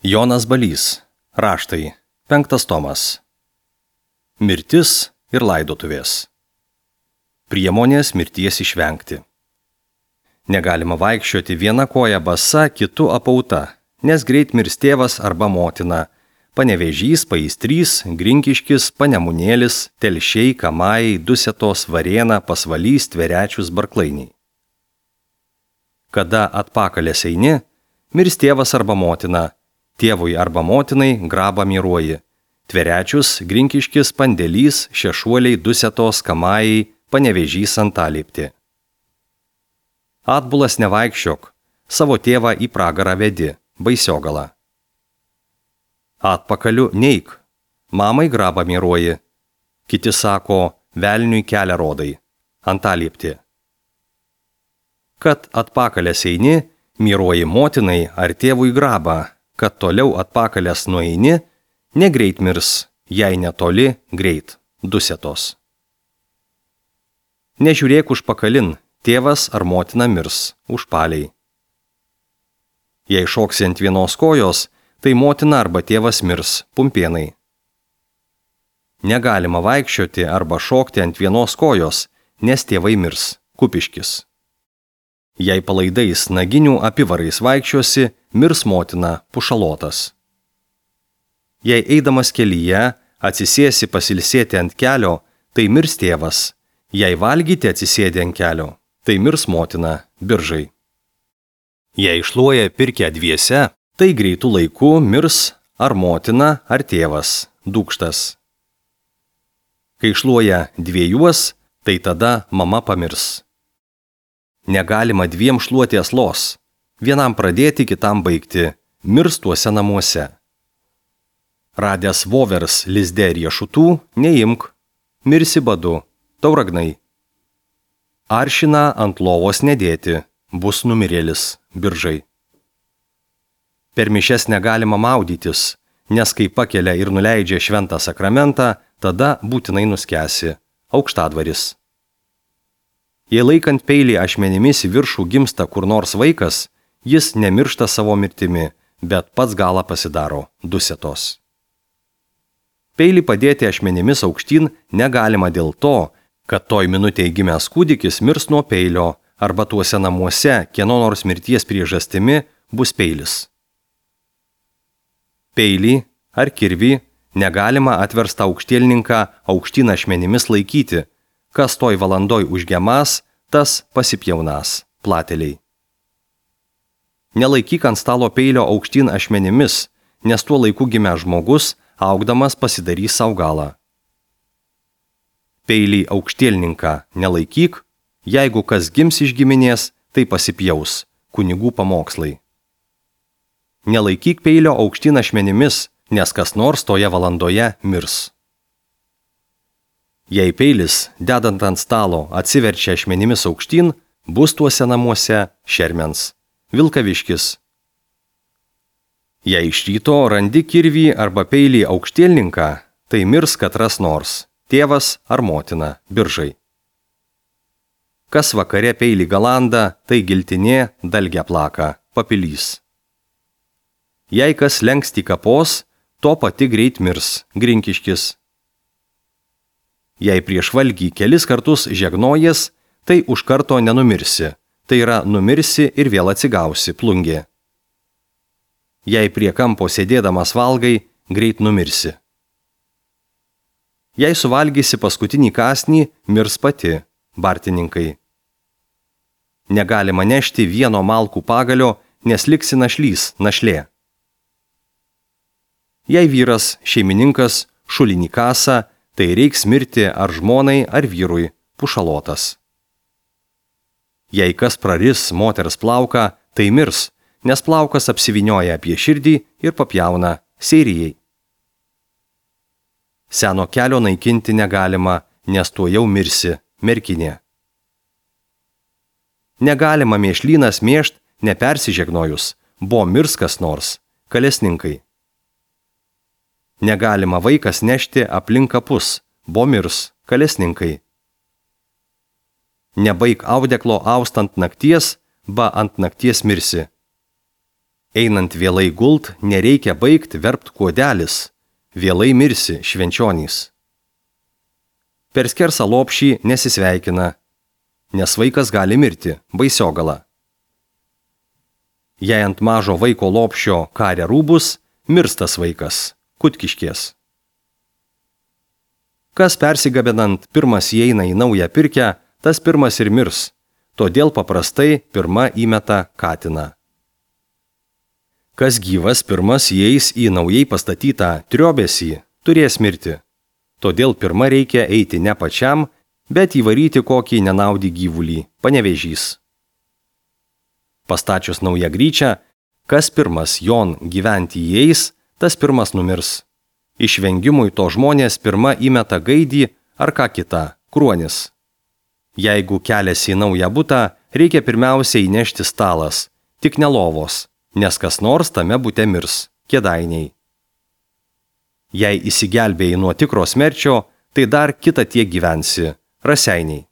Jonas Balys. Raštai. 5 tomas. Mirtis ir laidotuvės. Priemonės mirties išvengti. Negalima vaikščioti viena koja basa, kitu apauta, nes greit mirs tėvas arba motina, Panevėžys, Paistrys, Grinkiškis, Panemunėlis, Telšiai, Kamai, Dusetos, Varėna, Pasvalys, Tverečius, Barklainiai. Kada atpakalės eini, mirs tėvas arba motina, tėvui arba motinai grabą miruoji. Tverečius, Grinkiškis, Pandėlys, Šešuoliai, Dusetos, Kamai, Panevėžys, Antalieptė. Atbulas nevaikščiok, savo tėvą į pragarą vedi, Baisiogalą. Atpakaliu neik, mamai grabą miruoji. Kiti sako, velniui kelią rodai, Antalieptė. Kad atpakalės eini, miruoji motinai ar tėvui grabą, kad toliau atpakalės nueini, negreit mirs, jei netoli, greit, Dusetos. Nežiūrėk užpakalin, tėvas ar motina mirs, užpaliai. Jei šoksi ant vienos kojos, tai motina arba tėvas mirs, Pumpėnai. Negalima vaikščioti arba šokti ant vienos kojos, nes tėvai mirs, Kupiškis. Jei palaidais naginių apivarais vaikščiosi, mirs motina, Pušalotas. Jei eidamas kelyje atsisėsi pasilsėti ant kelio, tai mirs tėvas. Jei valgyti atsisėdi ant kelio, tai mirs motina, Biržai. Jei šluoja pirkę dviese, tai greitų laiku mirs ar motina, ar tėvas, Dūkštas. Kai šluoja dviejuos, tai tada mama pamirs. Negalima dviem šluoti aslos, vienam pradėti, kitam baigti, mirs tuose namuose. Radęs vovers lizde riešutų, neimk, mirsi badu, Tauragnai. Aršiną ant lovos nedėti, bus numirėlis, Biržai. Per mišias negalima maudytis, nes kai pakelia ir nuleidžia šventą sakramentą, tada būtinai nuskęsi, Aukštadvaris. Jei laikant peilį ašmenimis į viršų gimsta kur nors vaikas, jis nemiršta savo mirtimi, bet pats galą pasidaro, Dusetos. Peilį padėti ašmenimis aukštyn negalima dėl to, kad toj minutėj gimęs kūdikis mirs nuo peilio, arba tuose namuose kieno nors mirties priežastimi bus peilis. Peilį ar kirvį negalima atverstą aukštielninką aukštyn ašmenimis laikyti, kas toj valandoj užgemas, tas pasipjaunas, Plateliai. Nelaikyk ant stalo peilio aukštyn ašmenimis, nes tuo laiku gimęs žmogus, augdamas pasidarys sau galą. Peilį aukštielninką nelaikyk, jeigu kas gims iš giminės, tai pasipjaus, kunigų pamokslai. Nelaikyk peilio aukštyn ašmenimis, nes kas nors toje valandoje mirs. Jei peilis, dedant ant stalo, atsiverčia ašmenimis aukštyn, bus tuose namuose šermens, Vilkaviškis. Jei iš ryto randi kirvį arba peilį aukštielninką, tai mirs katras nors, tėvas ar motina, Biržai. Kas vakare peilį galanda, tai giltinė, dalgia plaka, Papilys. Jei kas lenksti kapos, to pati greit mirs, Grinkiškis. Jei prieš valgį kelis kartus žegnojas, tai už karto nenumirsi, tai yra numirsi ir vėl atsigausi, Plungė. Jei prie kampo sėdėdamas valgai, greit numirsi. Jei suvalgysi paskutinį kąsnį, mirs pati, Bartininkai. Negalima nešti vieno malkų pagalio, nes liksi našlys, našlė. Jei vyras, šeimininkas, šulinį kasa, tai reiks mirti ar žmonai, ar vyrui, Pušalotas. Jei kas praris moters plauką, tai mirs, nes plaukas apsivinioja apie širdį ir papjauna, Seirijai. Seno kelio naikinti negalima, nes tuo jau mirsi, Merkinė. Negalima mėšlynas mėšt, nepersižegnojus, bo mirs kas nors, Kalesninkai. Negalima vaikas nešti aplink kapus, bo mirs, Kalesninkai. Nebaik audeklo austant nakties, ba ant nakties mirsi. Einant vėlai gult, nereikia baigt verpt kuodelis, vėlai mirsi švenčionys. Per skersą lopšį nesisveikina, nes vaikas gali mirti baisiogala. Jei ant mažo vaiko lopšio karia rūbus, mirstas vaikas, kutkiškės. Kas persigabinant pirmas įeina į naują pirkę, tas pirmas ir mirs, todėl paprastai pirma įmeta katiną. Kas gyvas pirmas įeis į naujai pastatytą triobesį, turės mirti. Todėl pirma reikia eiti ne pačiam, bet įvaryti kokį nenaudį gyvulį, panevėžys. Pastačius naują gryčią, kas pirmas jon gyventi įeis, tas pirmas numirs. Išvengimui to žmonės pirma įmeta gaidį ar ką kitą, kruonis. Jeigu keliasi į naują butą, reikia pirmiausia įnešti stalas, tik ne lovos, nes kas nors tame bute mirs, kėdainiai. Jei įsigelbėjai nuo tikro smerčio, tai dar kitą tiek gyvensi, raseiniai.